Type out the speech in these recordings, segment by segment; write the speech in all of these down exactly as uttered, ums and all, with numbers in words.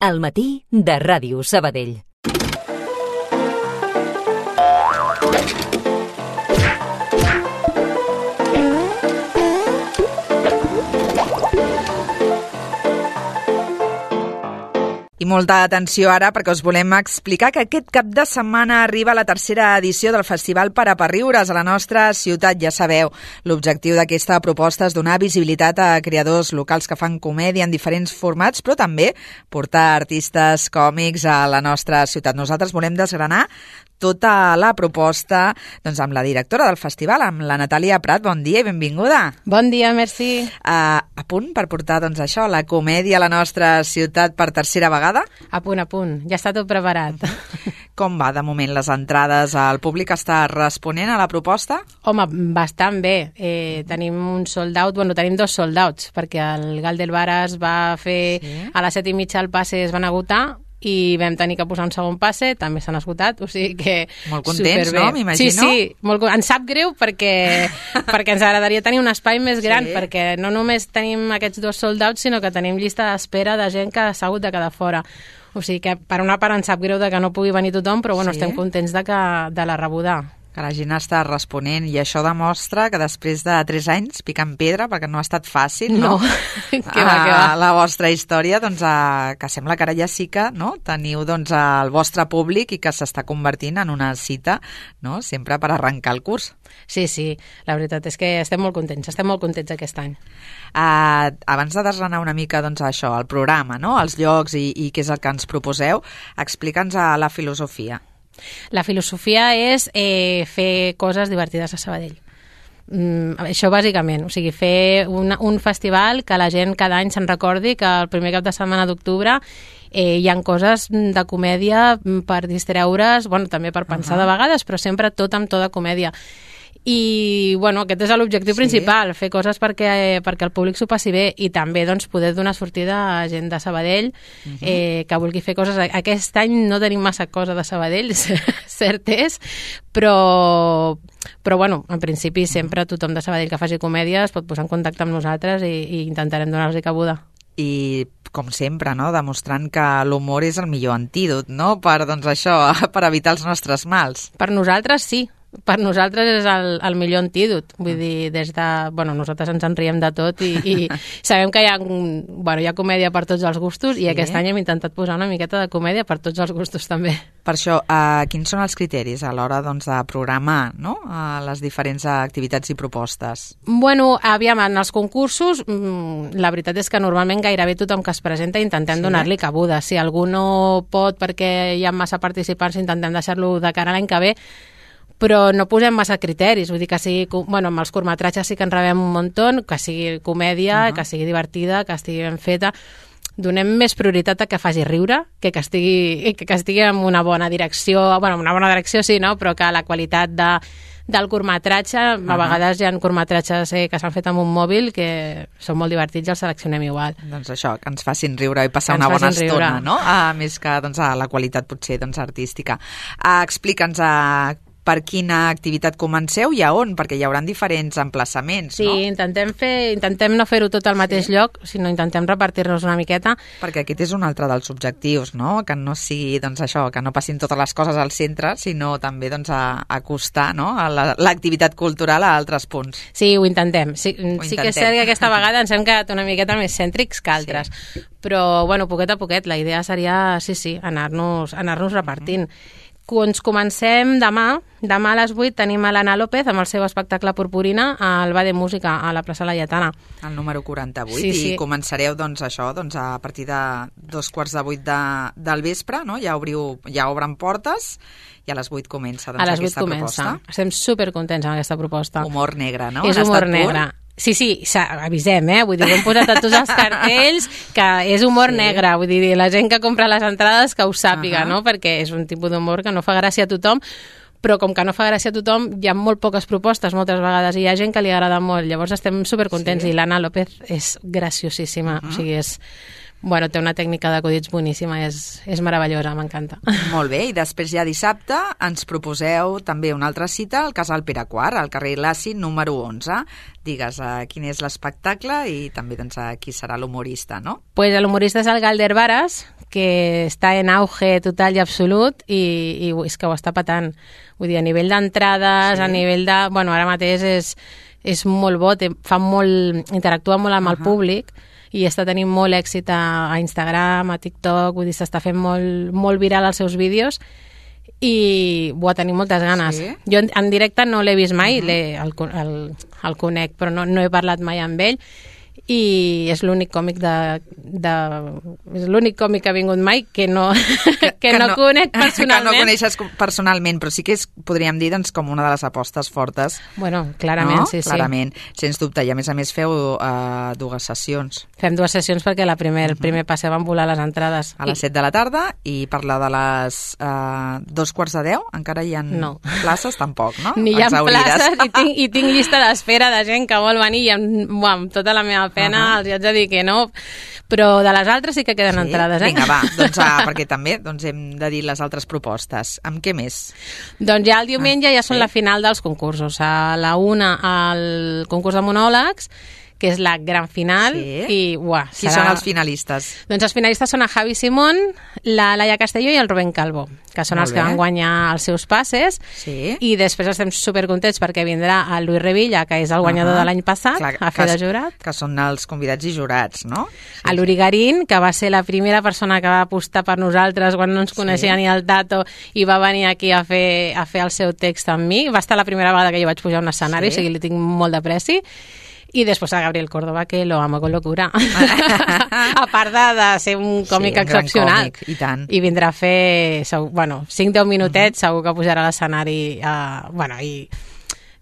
Al matí de Ràdio Sabadell. I molta atenció ara perquè us volem explicar que aquest cap de setmana arriba la tercera edició del Festival per a Riures a la nostra ciutat, ja sabeu. L'objectiu d'aquesta proposta és donar visibilitat a creadors locals que fan comèdia en diferents formats, però també portar artistes còmics a la nostra ciutat. Nosaltres volem desgranar tota la proposta doncs, amb la directora del festival, amb la Natàlia Prat. Bon dia i benvinguda. Bon dia, merci. Uh, a punt per portar doncs, això, la comèdia a la nostra ciutat per tercera vegada? A punt, a punt. Ja està tot preparat. Com va de moment les entrades? El públic està responent a la proposta? Home, bastant bé. Eh, tenim un sold out, bueno, tenim dos sold outs, perquè el Gal del Bar es va fer sí. A les set i mitja el passe es van agotar, i vam tenir que posar un segon passe, també s'han esgotat, o sigui que molt contents, superbé. No? M'imagino. Sí, sí, molt, ens sap greu perquè, perquè ens agradaria tenir un espai més gran, sí. Perquè no només tenim aquests dos sold outs, sinó que tenim llista d'espera de gent que s'ha hagut de quedar fora. O sigui que per una part ens sap greu de que no pugui venir tothom, però bueno, sí. Estem contents de, que, de la rebuda. Que la gent està responent, i això demostra que després de tres anys picant pedra, perquè no ha estat fàcil, no? No, que va, que va. La vostra història, doncs, a, que sembla que ara ja sí que no? Teniu doncs, el vostre públic i que s'està convertint en una cita, no? Sempre per arrencar el curs. Sí, sí, la veritat és que estem molt contents, estem molt contents aquest any. Uh, abans de desgranar una mica doncs, això, el programa, no? Els llocs i, i què és el que ens proposeu, explica'ns la filosofia. La filosofia és eh, fer coses divertides a Sabadell. Mm, això bàsicament, o sigui, fer una, un festival que la gent cada any se'n recordi que el primer cap de setmana d'octubre eh, hi ha coses de comèdia per distreure's, bueno, també per pensar uh-huh. de vegades, però sempre tot amb tota comèdia. I bueno, aquest és l'objectiu sí. principal, fer coses perquè, perquè el públic s'ho passi bé i també doncs, poder donar sortida a gent de Sabadell uh-huh. eh, que vulgui fer coses. Aquest any no tenim massa cosa de Sabadell, cert és, però, però bueno, en principi sempre tothom de Sabadell que faci comèdia es pot posar en contacte amb nosaltres i, i intentarem donar-los cabuda. I com sempre, no? Demostrant que l'humor és el millor antídot, no? Per, doncs, això, per evitar els nostres mals. Per nosaltres sí. Per nosaltres és el, el millor antídot. Vull dir, des de... Bueno, nosaltres ens en riem de tot i, i sabem que hi ha, bueno, hi ha comèdia per tots els gustos sí. I aquest any hem intentat posar una miqueta de comèdia per tots els gustos també. Per això, uh, quins són els criteris a l'hora doncs, de programar no? uh, les diferents activitats i propostes? Bueno, aviam, en els concursos la veritat és que normalment gairebé tothom que es presenta intentem sí. donar-li cabuda. Si algú no pot perquè hi ha massa participants intentem deixar-lo de cara a l'any que ve, però no posem massa criteris, vull dir que sigui, bueno, amb els curtmetratges sí que en rebem un muntó, que sigui comèdia, uh-huh. que sigui divertida, que estigui ben feta. Donem més prioritat a que faci riure, que que estigui, que, que estigui en una bona direcció, bueno, una bona direcció sí, no? Però que la qualitat de, del curtmetratge, uh-huh. a vegades hi ha curtmetratges eh, que s'han fet amb un mòbil que són molt divertits i els seleccionem igual. Doncs això, que ens facin riure i passar una bona estona, riure. No? A més que doncs, a la qualitat potser doncs, artística. Uh, Explica'ns a per quina activitat comenceu i a on, perquè hi haurà diferents emplaçaments, sí, no? Sí, intentem, fer, intentem no fer-ho tot al mateix sí. lloc, sinó intentem repartir-nos una miqueta. Perquè aquest és un altre dels objectius, no? Que no sigui, doncs, això, que no passin totes les coses al centre, sinó també, doncs, a acostar, no? A la, l'activitat cultural a altres punts. Sí, ho intentem. Sí, ho intentem. Sí que és cert que aquesta vegada ens hem quedat una miqueta més cèntrics que altres. Sí. Però, bueno, poquet a poquet, la idea seria, sí, sí, anar-nos, anar-nos repartint. Mm-hmm. Ens comencem demà. Demà a les vuit tenim a l'Anna López amb el seu espectacle Purpurina al Bar de Música a la plaça Laietana. El número quaranta-vuit. Sí, sí. I començareu doncs, això doncs, a partir de dos quarts de vuit de, del vespre, no? Ja, obriu, ja obren portes i a les vuit comença doncs, a les vuit aquesta comença. proposta. Estem supercontents amb aquesta proposta. Humor negre, no? És humor negre. Sí, sí, avisem, eh? Vull dir, ho hem posat a tots els cartells que és humor sí. negre, vull dir, la gent que compra les entrades que ho sàpiga, uh-huh. no? Perquè és un tipus d'humor que no fa gràcia a tothom, però com que no fa gràcia a tothom, hi ha molt poques propostes moltes vegades i hi ha gent que li agrada molt, llavors estem supercontents sí. i l'Anna López és graciosíssima, uh-huh. o sigui, és... Bueno, té una tècnica d'acudits boníssima, és, és meravellosa, m'encanta. Molt bé, i després ja dissabte ens proposeu també una altra cita al Casal Pere quart, al carrer Laci número onze. Digues uh, quin és l'espectacle i també doncs, uh, qui serà l'humorista, no? Pues l'humorista és el Gal del Varas, que està en auge total i absolut i, i és que ho està patant. Vull dir, a nivell d'entrades, sí. a nivell de... Bueno, ara mateix és, és molt bo, té, fa molt, interactua molt amb uh -huh. el públic i està tenint molt èxit a, a Instagram, a TikTok, vull dir, s'està fent molt, molt viral els seus vídeos i ho tenim moltes ganes. Sí? Jo en, en directe no l'he vist mai, uh -huh. el, el, el conec, però no, no he parlat mai amb ell i és l'únic còmic de, de és l'únic còmic que ha vingut mai que no, que, que no, no conec personalment. Que no coneixes personalment, però sí que és, podríem dir, doncs, com una de les apostes fortes. Bueno, clarament, no? sí, sí. Clarament, sens dubte. I a més a més feu uh, dues sessions. Fem dues sessions perquè la primer, el primer passe van volar les entrades. A les set de la tarda i per la de les uh, dos quarts de deu encara hi ha no. places, tampoc, no? Ni hi ha places i tinc, i tinc llista d'espera de gent que vol venir i amb, uah, amb tota la meva pena uh -huh. els haig de dir que no, però de les altres sí que queden sí? entrades. Eh? Vinga, va, doncs, ah, perquè també doncs, hem de dir les altres propostes. Amb què més? Doncs ja el diumenge ah, ja són sí? la final dels concursos. A la una el concurs de monòlegs, que és la gran final. Sí? I, uah, Qui serà... són els finalistes? Doncs els finalistes són el Javi Simón, la Laia Castelló i el Rubén Calvo, que són Molt els bé. que van guanyar els seus passes. Sí. I després estem supercontents perquè vindrà el Luis Revilla, que és el guanyador uh -huh. de l'any passat, Clar, a fer que, de jurat. Que són els convidats i jurats, no? Sí. A l'Uri Garín, que va ser la primera persona que va apostar per nosaltres quan no ens coneixia sí. ni el Tato i va venir aquí a fer, a fer el seu text amb mi. Va estar la primera vegada que jo vaig pujar a un escenari, sí. o sigui, li tinc molt d'apreci. I després a Gabriel Córdoba, que lo amo con locura. A part de, de ser un còmic sí, un excepcional. Còmic, i tant. I vindrà a fer segur, bueno, cinc deu minutets, uh -huh. segur que pujarà a l'escenari uh, bueno, i,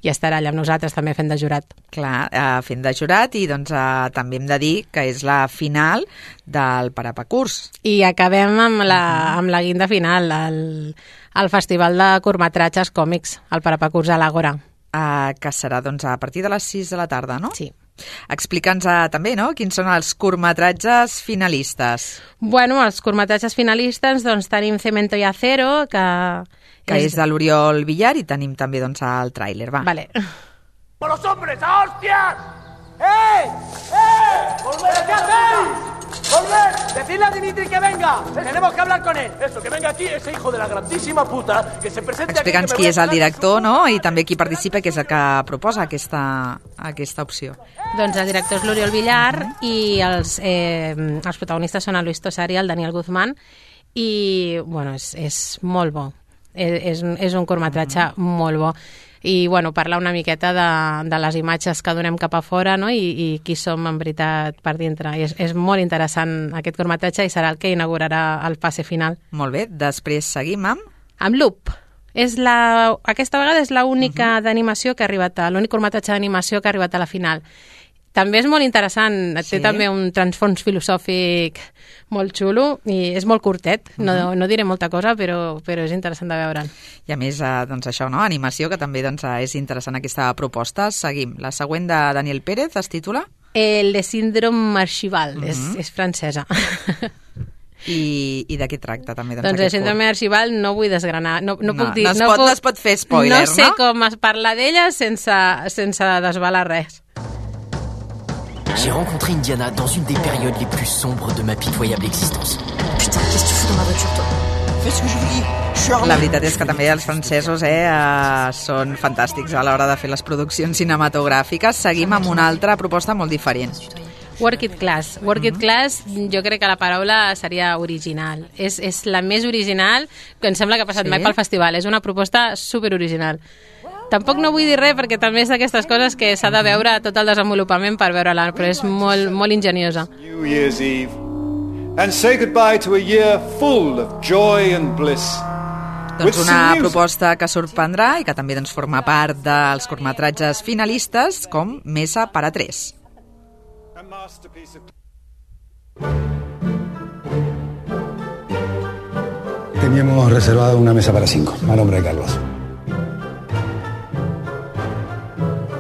i estarà allà amb nosaltres també fent de jurat. Clar, uh, fent de jurat i doncs uh, també hem de dir que és la final del Parapacurs. I acabem amb la, amb la guinda final, el, el Festival de Curtmetratges Còmics, el Parapacurs a l'Àgora. Uh, que serà doncs, a partir de les sis de la tarda, no? Sí. Explica'ns uh, també, no?, quins són els curtmetratges finalistes. Bueno, els curtmetratges finalistes, doncs tenim Cemento y Acero, que... Que és, és de l'Oriol Villar, i tenim també, doncs, el tràiler, va. Vale. ¡Por los hombres, a hostias! ¡Eh! ¡Eh! ¡Volver! ¿Qué hacéis? ¡Volver! ¡Decidle a Dimitri que venga! ¡Tenemos que hablar con él! Eso, que venga aquí ese hijo de la grandísima puta, que se presente aquí... Explica'ns qui és el director, no?, i també qui participa, que és el que proposa aquesta, aquesta opció. Doncs el director és l'Oriol Villar uh -huh. i els, eh, els protagonistes són el Luis Tosar i el Daniel Guzmán i, bueno, és, és molt bo. És, és un curtmetratge uh -huh. molt bo. I, bueno, parlar una miqueta de, de les imatges que donem cap a fora, no?, i, i qui som en veritat per dintre. I és, és molt interessant aquest curtmetratge i serà el que inaugurarà el passe final. Molt bé, després seguim amb... Amb Loop. És la, aquesta vegada és l'única uh -huh. d'animació que ha arribat a, l'únic curtmetratge d'animació que ha arribat a la final. També és molt interessant, sí. té també un transfons filosòfic molt xulo i és molt curtet, no, uh -huh. no diré molta cosa, però, però és interessant de veure'l. I a més, eh, doncs això, no?, animació, que també doncs, és interessant aquesta proposta. Seguim. La següent de Daniel Pérez es titula? El de síndrome Archival, uh -huh. és, és francesa. I, i de què tracta també? Doncs, doncs el síndrome Archival no vull desgranar, no, no, no puc dir... No es, no, pot, puc, no es pot fer spoiler, no? sé no? com es parla d'ella sense, sense desvelar res. J'ai rencontré Indiana dans une des périodes les plus sombres de ma pitoyable existence. Putain, qu'est-ce que tu fous dans ma voiture, toi? Fais ce que je vous dis. Je suis armé. La veritat és que també els francesos eh, uh, són fantàstics a l'hora de fer les produccions cinematogràfiques. Seguim amb una altra proposta molt diferent. Work It Class. Work It Class, jo crec que la paraula seria original. És, és la més original que em sembla que ha passat sí? mai pel festival. És una proposta superoriginal. Tampoc no vull dir res perquè també és d'aquestes coses que s'ha de veure tot el desenvolupament per veure-la, però és molt, molt enginyosa. New Year's Eve and say goodbye to a year full of joy and bliss. Doncs una proposta que sorprendrà i que també doncs, forma part dels curtmetratges finalistes com Mesa para tres. Teníamos reservado una mesa para cinco, a nombre de Carlos.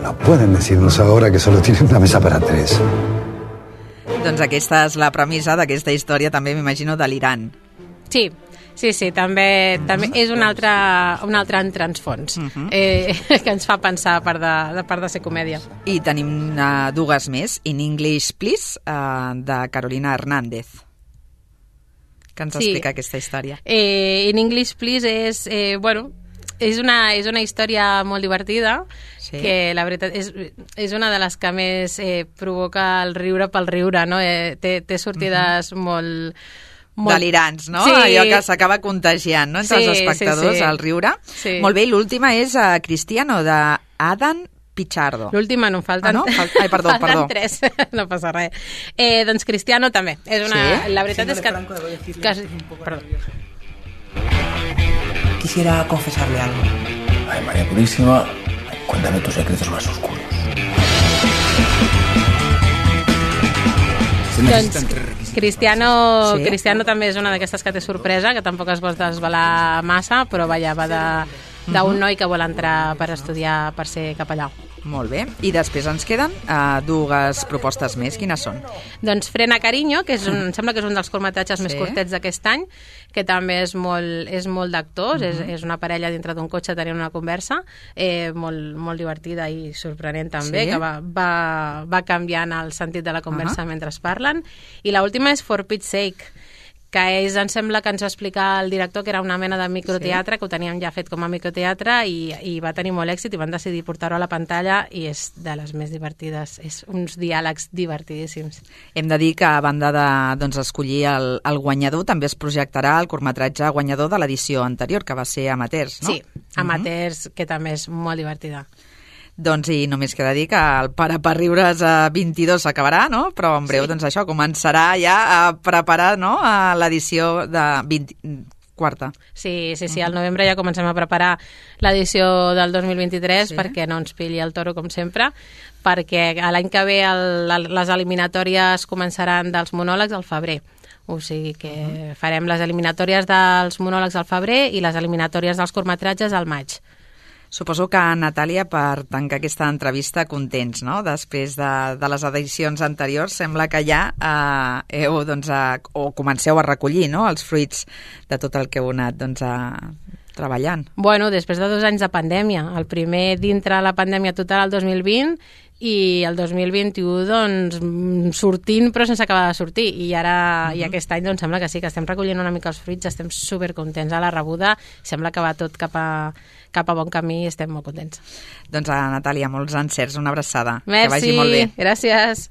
No pueden decirnos ahora que solo tienen una mesa para tres. Doncs aquesta és la premissa d'aquesta història, també m'imagino delirant. Sí, sí, sí, també, també és un altre, un altre transfons uh -huh. eh, que ens fa pensar a part de, a part de ser comèdia. I tenim uh, dues més, In English Please, uh, de Carolina Hernández. que ens sí. explica aquesta història. Eh, In English Please és, eh, bueno, és una, és una història molt divertida, sí. que la veritat és, és una de les que més eh, provoca el riure pel riure, no? Eh, té, té sortides uh-huh. molt... Molt... delirants, no? Sí. Allò que s'acaba contagiant, no? Entre sí, els espectadors, sí, sí. el riure. Sí. Molt bé, i l'última és uh, Cristiano, de Adam Pichardo. L'última no, em falten... Ah, no? Fal... Ai, perdó, falten perdó. tres, no passa res. Eh, doncs Cristiano també. És una... ¿Sí? La veritat sí, no és que... que... Perdó. Quisiera confesarle algo. Ay, María Purísima, cuéntame tus secretos más oscuros. Doncs Cristiano, sí. Cristiano també és una d'aquestes que té sorpresa, que tampoc es vol desvelar massa, però vaja, va de, d'un uh-huh. noi que vol entrar per estudiar, per ser capellà. Molt bé. I després ens queden uh, dues propostes més. Quines són? Doncs Frena Cariño, que és un, em sembla que és un dels curtmetratges sí. més curtets d'aquest any, que també és molt, és molt d'actors, uh-huh. és, és una parella dintre d'un cotxe tenint una conversa, eh, molt, molt divertida i sorprenent també, sí. que va, va, va canviant el sentit de la conversa uh-huh. mentre es parlen. I l'última és For Pete's Sake, que és, em sembla que ens va explicar el director que era una mena de microteatre, sí. que ho teníem ja fet com a microteatre i, i va tenir molt èxit i van decidir portar-ho a la pantalla i és de les més divertides, és uns diàlegs divertidíssims. Hem de dir que a banda de doncs, escollir el, el guanyador, també es projectarà el curtmetratge guanyador de l'edició anterior, que va ser Amateurs, no? Sí, Amateurs, uh-huh. que també és molt divertida. Doncs i només queda dir que el Para per riure's a vint-i-dos s'acabarà, no? Però en breu, sí. doncs això, començarà ja a preparar, no?, a l'edició de vint... quarta. Sí, sí, sí, al novembre ja comencem a preparar l'edició del dos mil vint-i-tres sí. perquè no ens pilli el toro, com sempre, perquè l'any que ve el, les eliminatòries començaran dels monòlegs al febrer. O sigui que uh-huh. farem les eliminatòries dels monòlegs al febrer i les eliminatòries dels curtmetratges al maig. Suposo que, Natàlia, per tancar aquesta entrevista, contents, no? Després de, de les edicions anteriors, sembla que ja eh, heu, doncs, a, o comenceu a recollir, no?, els fruits de tot el que heu anat, doncs, a, treballant. Bueno, després de dos anys de pandèmia. El primer dintre la pandèmia total el dos mil vint i el dos mil vint-i-u, doncs, sortint però sense acabar de sortir. I ara, uh-huh. i aquest any, doncs, sembla que sí, que estem recollint una mica els fruits, estem supercontents a la rebuda, sembla que va tot cap a, cap a bon camí i estem molt contents. Doncs, a Natàlia, molts encerts, una abraçada. Merci, que vagi molt bé. Gràcies.